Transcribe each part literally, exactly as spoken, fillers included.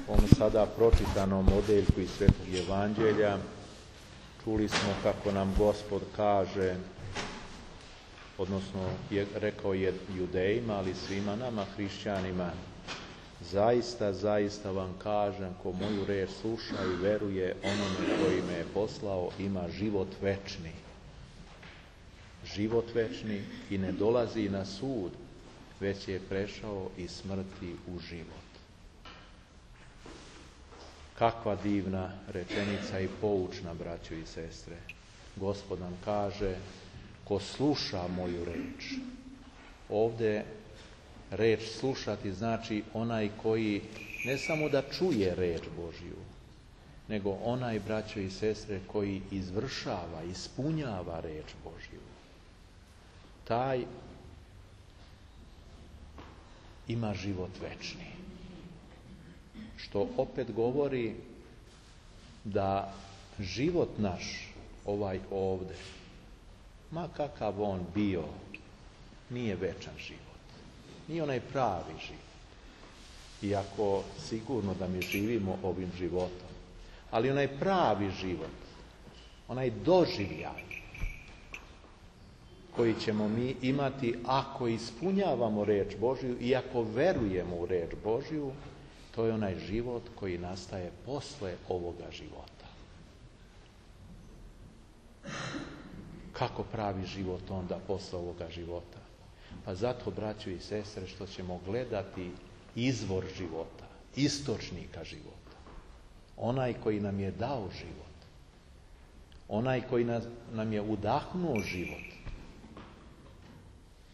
ovom sada pročitanom odeljku iz Svetog Evanđelja čuli smo kako nam Gospod kaže, odnosno je, rekao je Judejima, ali svima nama, hrišćanima, zaista, zaista vam kažem, ko moju reč sluša i veruje onome koji me je poslao, ima život večni. Život večni i ne dolazi na sud, već je prešao iz smrti u život. Kakva divna rečenica i poučna, braćo i sestre. Gospod nam kaže, ko sluša moju reč. Ovdje reč slušati znači onaj koji ne samo da čuje reč Božju, nego onaj, braćo i sestre, koji izvršava, ispunjava reč Božju. Taj ima život večni. Što opet govori da život naš, ovaj ovde, ma kakav on bio, nije večan život. Nije onaj pravi život. Iako sigurno da mi živimo ovim životom. Ali onaj pravi život, onaj doživljaj koji ćemo mi imati ako ispunjavamo reč Božju i ako verujemo u reč Božju, to je onaj život koji nastaje posle ovoga života. Kako pravi život onda posle ovoga života? Pa zato, braćo i sestre, što ćemo gledati izvor života, istočnika života. Onaj koji nam je dao život. Onaj koji nam je udahnuo život.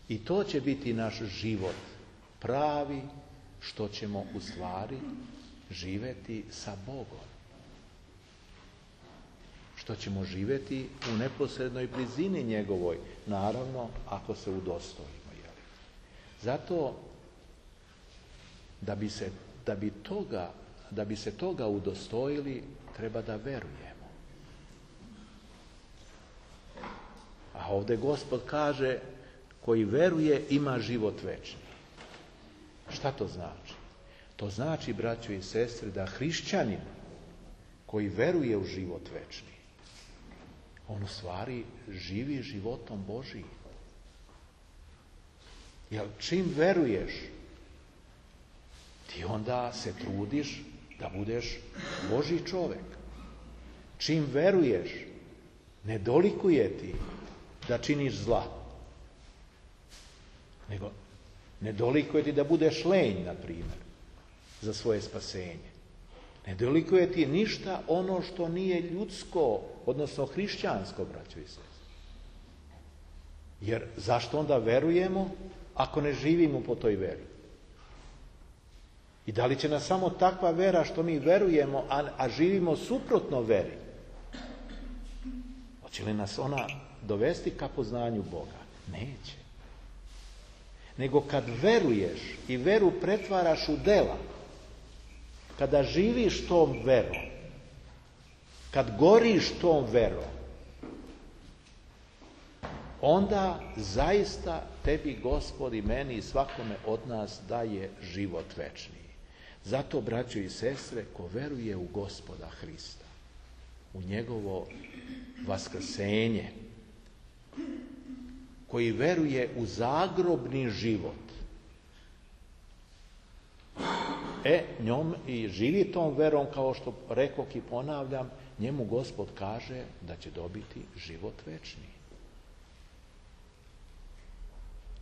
I to će biti naš život pravi, što ćemo u stvari živjeti sa Bogom. Što ćemo živjeti u neposrednoj blizini njegovoj, naravno ako se udostojimo. Jel? Zato da bi se, da bi toga, da bi se toga udostojili, treba da verujemo. A ovdje Gospod kaže, koji veruje ima život večni. Šta to znači? To znači, braćo i sestre, da hrišćanin koji veruje u život večni, on u stvari živi životom Božijim. Jer čim veruješ, ti onda se trudiš da budeš Božji čovjek. Čim veruješ, ne dolikuje ti da činiš zla, nego ne dolikuje ti da budeš lenj, na primjer, za svoje spasenje. Ne dolikuje ti ništa ono što nije ljudsko, odnosno hrišćansko, braćo i sestre. Jer zašto onda verujemo ako ne živimo po toj veri? I da li će nas samo takva vera što mi verujemo, a, a živimo suprotno veri? Hoće li nas ona dovesti ka poznanju Boga? Neće. Nego kad veruješ i veru pretvaraš u dela, kada živiš tom verom, kad goriš tom verom, onda zaista tebi, Gospod, i meni i svakome od nas daje život večni. Zato, braćo i sestre, ko veruje u Gospoda Hrista, u njegovo vaskrsenje, koji veruje u zagrobni život, e, njom i živi tom verom, kao što rekoh i ponavljam, njemu Gospod kaže da će dobiti život večni.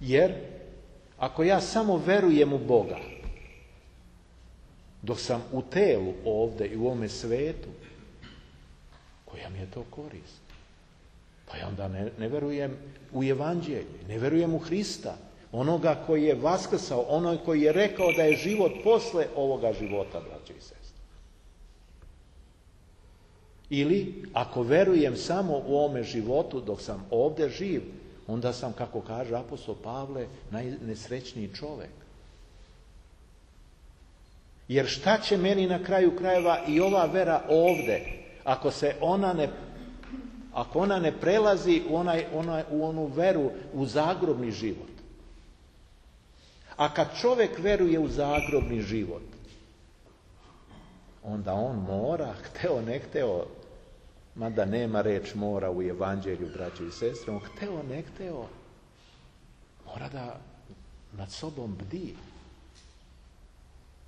Jer ako ja samo verujem u Boga, dok sam u telu ovdje i u ovome svetu, koja mi je to korist? Pa ja onda ne, ne verujem u Evanđelje, ne verujem u Hrista, onoga koji je vaskrsao, onoga koji je rekao da je život posle ovoga života, braćo i sestre. Ili, ako verujem samo u ovome životu dok sam ovdje živ, onda sam, kako kaže apostol Pavle, najnesrećniji čovjek. Jer šta će meni na kraju krajeva i ova vera ovdje, ako se ona ne Ako ona ne prelazi u, onaj, onaj, u onu veru, u zagrobni život. A kad čovjek veruje u zagrobni život, onda on mora, hteo ne hteo, mada nema reč mora u evanđelju, braćo i sestre, on hteo ne hteo, mora da nad sobom bdi,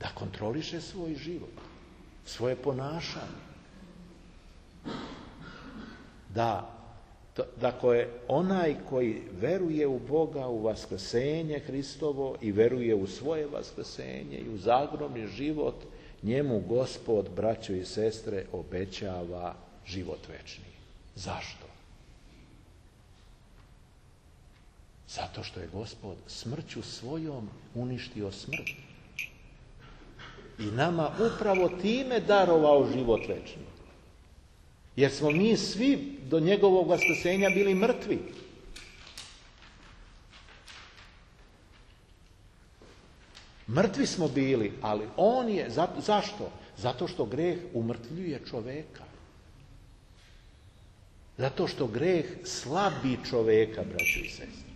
da kontroliše svoj život, svoje ponašanje. Da, dakle, onaj koji veruje u Boga, u vaskrsenje Hristovo i veruje u svoje vaskrsenje i u zagrobni život, njemu Gospod, braćo i sestre, obećava život večni. Zašto? Zato što je Gospod smrću svojom uništio smrt. I nama upravo time darovao život večni. Jer smo mi svi do njegovog vaskrsenja bili mrtvi. Mrtvi smo bili, ali on je, zašto? Zato što greh umrtvljuje čoveka. Zato što greh slabi čoveka, braćo i sestre.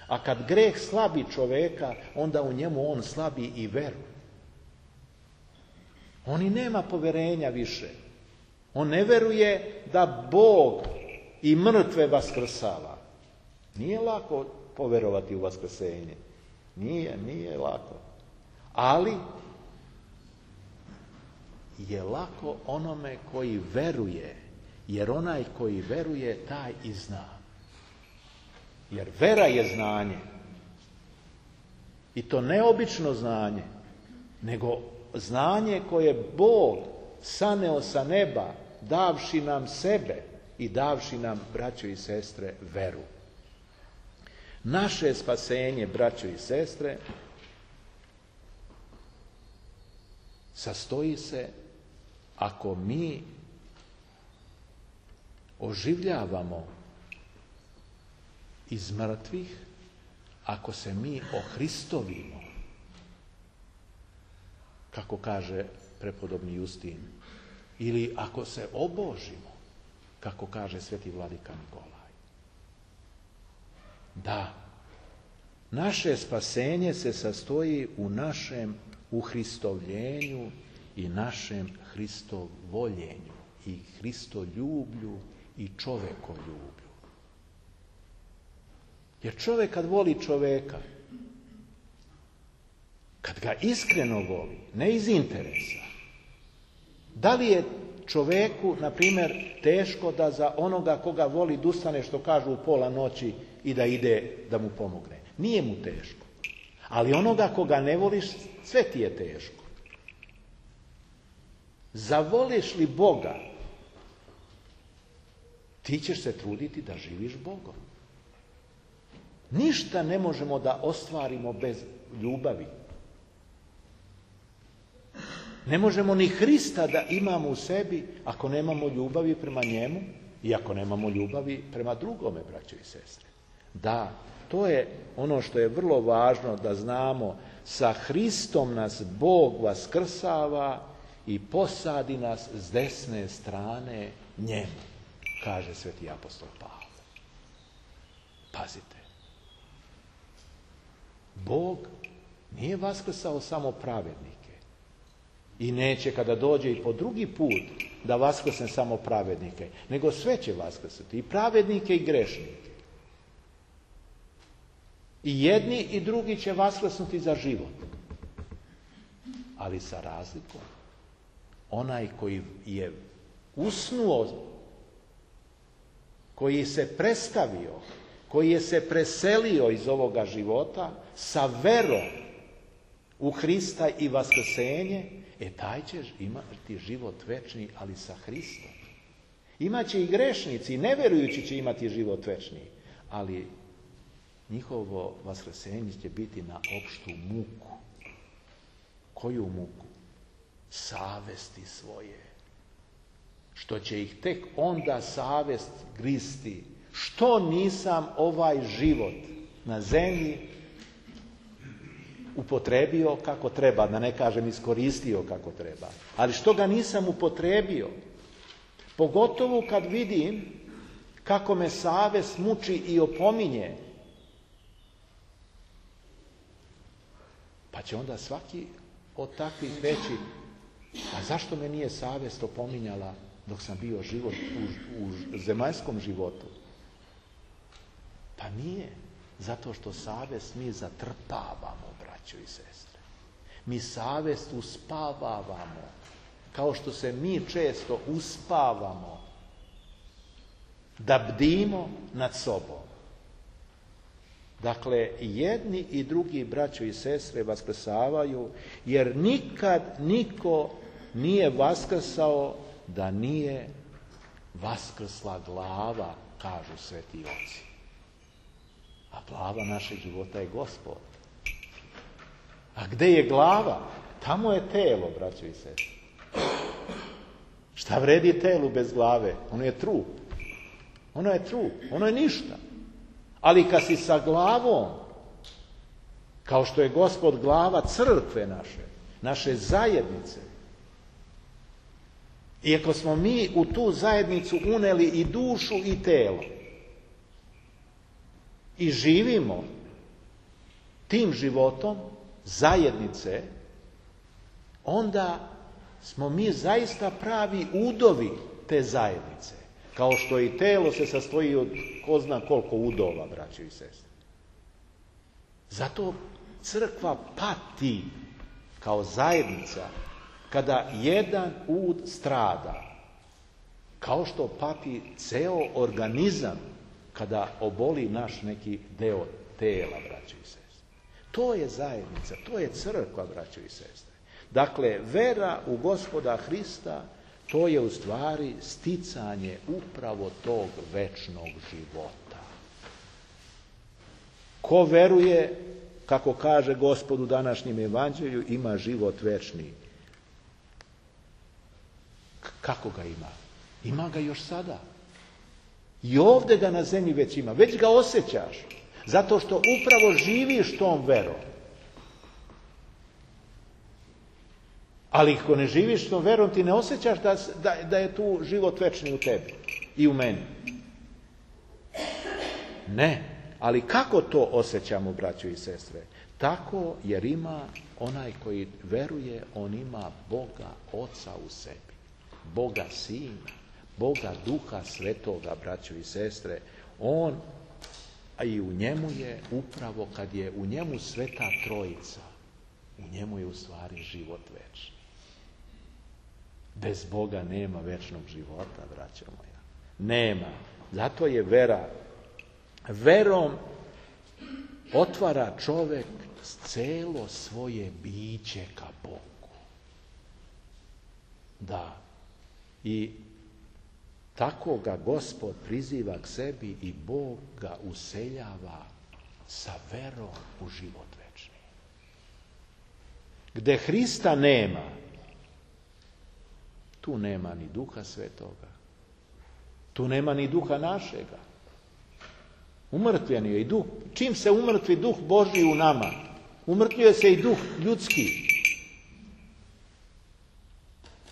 A kad greh slabi čoveka, onda u njemu on slabi i veru. On i nema poverenja više. On ne veruje da Bog i mrtve vaskrsava. Nije lako poverovati u vaskrsenje. Nije, nije lako. Ali je lako onome koji veruje, jer onaj koji veruje, taj i zna. Jer vera je znanje. I to ne obično znanje, nego znanje koje Bog saneo sa neba, davši nam sebe i davši nam, braćo i sestre, veru. Naše spasenje, braćo i sestre, sastoji se ako mi oživljavamo iz mrtvih, ako se mi ohristovimo, kako kaže prepodobni Justin, ili ako se obožimo, kako kaže sveti vladika Nikolaj. Da, naše spasenje se sastoji u našem uhristovljenju i našem hristovoljenju i hristoljublju i čovekoljublju. Jer čovjek kad voli čoveka, kad ga iskreno voli, ne iz interesa, da li je čoveku, na primjer, teško da za onoga koga voli dustane, što kažu, u pola noći i da ide da mu pomogne? Nije mu teško. Ali onoga koga ne voliš, sve ti je teško. Zavoliš li Boga, ti ćeš se truditi da živiš Bogom. Ništa ne možemo da ostvarimo bez ljubavi. Ne možemo ni Hrista da imamo u sebi ako nemamo ljubavi prema njemu i ako nemamo ljubavi prema drugome, braćo i sestre. Da, to je ono što je vrlo važno da znamo. Sa Hristom nas Bog vaskrsava i posadi nas s desne strane njemu, kaže sveti apostol Pavle. Pazite. Bog nije vaskrsao samo pravednike i neće kada dođe i po drugi put da vaskrsne samo pravednike, nego sve će vaskrsati, i pravednike i grešnike. I jedni i drugi će vaskrsnuti za život. Ali sa razlikom. Onaj koji je usnuo, koji se prestavio, koji je se preselio iz ovoga života sa verom u Hrista i vaskrsenje, e taj će imati život večni, ali sa Hristom. Imaće i grešnici, i neverujući će imati život večni, ali njihovo vaskrsenje će biti na opštu muku. Koju muku? Savesti svoje. Što će ih tek onda savest gristi. Što nisam ovaj život na zemlji upotrebio kako treba, da ne kažem iskoristio kako treba. Ali što ga nisam upotrebio? Pogotovo kad vidim kako me savest muči i opominje. Pa će onda svaki od takvih reći, A zašto me nije savjest opominjala dok sam bio život u, u zemaljskom životu? Pa nije. Zato što savjest mi zatrpavamo, braćo i sestre. Mi savjest uspavavamo. Kao što se mi često uspavamo da bdimo nad sobom. Dakle, jedni i drugi, braćo i sestre, vaskrsavaju, jer nikad niko nije vaskrsao da nije vaskrsla glava, kažu sveti oci. A glava našeg života je Gospod. A gde je glava? Tamo je telo, braćo i sestre. Šta vredi telu bez glave? Ono je trup. Ono je trup. Ono je ništa. Ali kad si sa glavom, kao što je Gospod glava crkve naše, naše zajednice, i ako smo mi u tu zajednicu uneli i dušu i telo, i živimo tim životom zajednice, onda smo mi zaista pravi udovi te zajednice. Kao što i telo se sastoji od ko zna koliko udova, braćo i sestre. Zato crkva pati kao zajednica kada jedan ud strada. Kao što pati ceo organizam kada oboli naš neki deo tela, braćo i sestre. To je zajednica, to je crkva, braćo i sestre. Dakle, vera u Gospoda Hrista, to je u stvari sticanje upravo tog večnog života. Ko veruje, kako kaže Gospod u današnjem evanđelju, ima život večni. Kako ga ima? Ima ga još sada. I ovdje ga na zemlji već ima. Već ga osjećaš. Zato što upravo živiš tom verom. Ali ako ne živiš tom verom, ti ne osjećaš da, da, da je tu život večni u tebi i u meni. Ne. Ali kako to osjećamo, braćo i sestre? Tako, jer ima onaj koji veruje, on ima Boga Oca u sebi. Boga Sina, Boga Duha Svetoga, braćo i sestre. On, a i u njemu je upravo kad je u njemu Sveta Trojica, u njemu je u stvari život večni. Bez Boga nema večnog života, braćo moja. Nema. Zato je vera. Verom otvara čovjek celo svoje biće ka Bogu. Da. I tako ga Gospod priziva k sebi i Bog ga useljava sa verom u život večni. Gde Hrista nema, tu nema ni Duha Svetoga. Tu nema ni Duha našega. Umrtvljen je i duh. Čim se umrtvi Duh Božji u nama, umrtvljuje se i duh ljudski.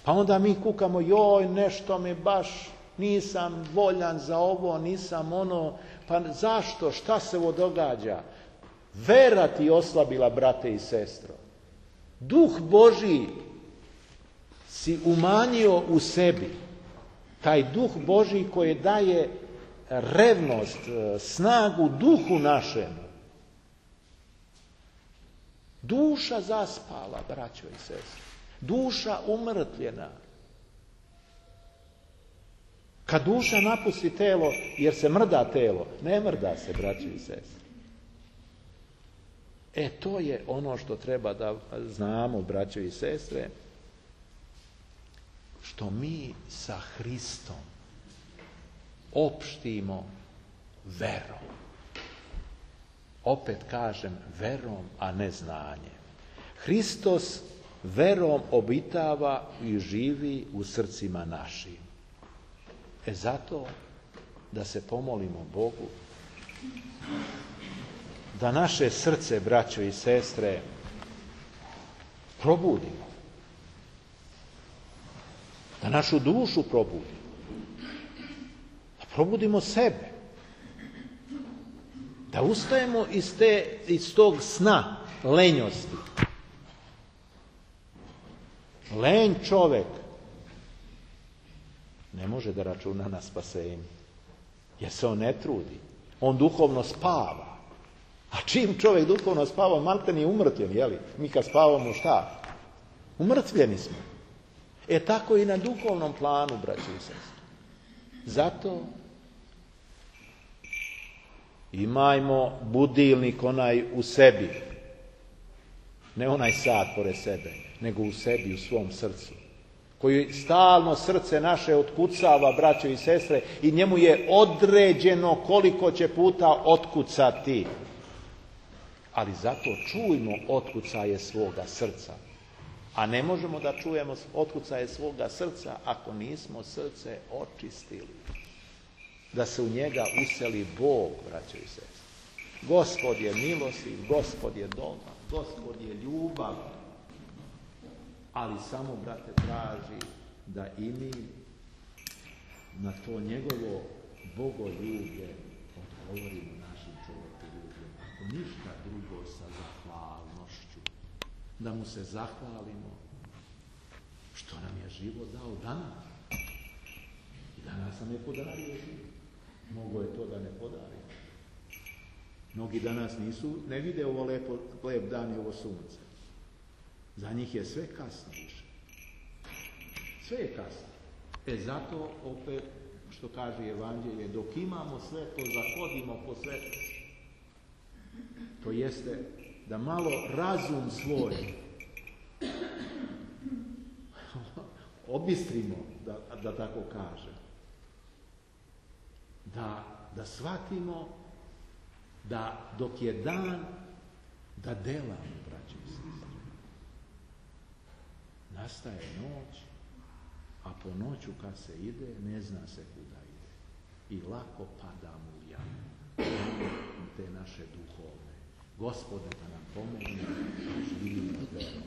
Pa onda mi kukamo, joj, nešto mi baš, nisam voljan za ovo, nisam ono, pa zašto, šta se ovo događa? Vera ti oslabila, brate i sestro. Duh Božji si umanjio u sebi. Taj Duh Božji koji daje revnost, snagu duhu našemu. Duša zaspala, braćo i sestre. Duša umrtvljena. Kad duša napusti telo, jer se mrda telo, ne mrda se, braćo i sestre. E, to je ono što treba da znamo, braćo i sestre, što mi sa Hristom opštimo verom. Opet kažem, verom, a ne znanjem. Hristos verom obitava i živi u srcima našim. E zato da se pomolimo Bogu, da naše srce, braćo i sestre, probudimo. Da našu dušu probudimo. Da probudimo sebe. Da ustajemo iz, te, iz tog sna lenjosti. Lenj čovek ne može da računa na spasenje, jer se on ne trudi. On duhovno spava. A čim čovjek duhovno spava, malten je umrtvljen, jeli? Mi kad spavamo šta? Umrtvljeni smo. E tako i na duhovnom planu, braći i sestre. Zato imajmo budilnik onaj u sebi. Ne onaj sat pored sebe, nego u sebi, u svom srcu. Koji stalno srce naše otkucava, braćo i sestre, i njemu je određeno koliko će puta otkucati. Ali zato čujmo otkucaje svoga srca. A ne možemo da čujemo otkucaje svoga srca ako nismo srce očistili. Da se u njega useli Bog, braćo i sestre. Gospod je milostiv, Gospod je dobar, Gospod je ljubav. Ali samo, brate, traži da i mi na to njegovo bogoljublje odgovorimo našim čovjekoljubljima. Ako ništa drugo, sa zahvalnošću. Da mu se zahvalimo što nam je život dao danas. I danas nam je podario život. Mogo je to da ne podari. Mnogi danas nisu, ne vide ovo lepo, lep dan i ovo sunce. Za njih je sve kasno više. Sve je kasno. E zato, opet, što kaže Evanđelje, dok imamo sve to, zahodimo po sve. To jeste da malo razum svoj obistrimo, da, da tako kažem. Da, da shvatimo da dok je dan, da delamo, braći i sestre. Nastaje noć, a po noću kad se ide, ne zna se kuda ide. I lako padamo u jamu. Te naše duhovne. Gospode da nam pomogne, živimo verom.